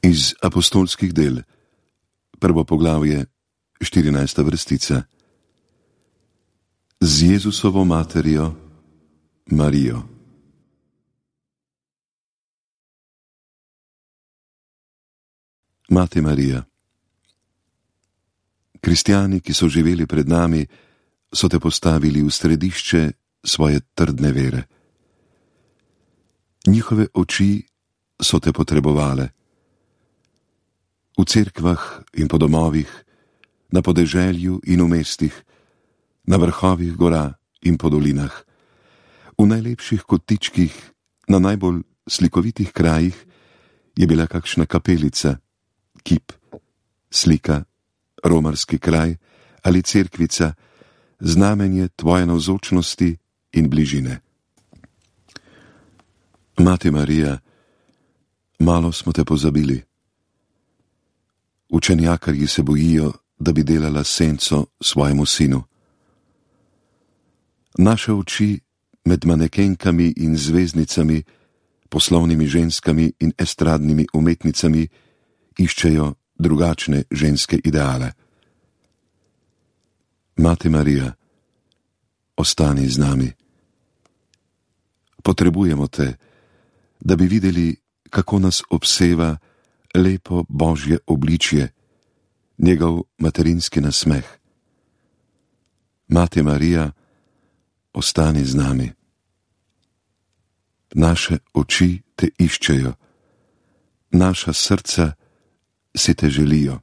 Iz apostolskih del, 1. poglavje, 14. vrstica. Z Jezusovo materjo, Marijo. Mati Marija. Kristjani, ki so živeli pred nami, so te postavili v središče svoje trdne vere. Njihove oči so te potrebovale. V cerkvah in po domovih, na podeželju in v mestih, na vrhovih gora in po dolinah, v najlepših kotičkih, na najbolj slikovitih krajih je bila kakšna kapelica, kip, slika, romarski kraj ali cerkvica, znamenje tvoje navzočnosti in bližine. Mati Marija, malo smo te pozabili. Učenjakarji se bojijo, da bi delala senco svojemu sinu. Naše oči med manekenkami in zvezdnicami, poslovnimi ženskami in estradnimi umetnicami iščejo drugačne ženske ideale. Mati Marija, ostani z nami. Potrebujemo te, da bi videli, kako nas obseva lepo Božje obličje, njegov materinski nasmeh. Mati Marija, ostani z nami. Naše oči te iščejo, naša srca si te želijo.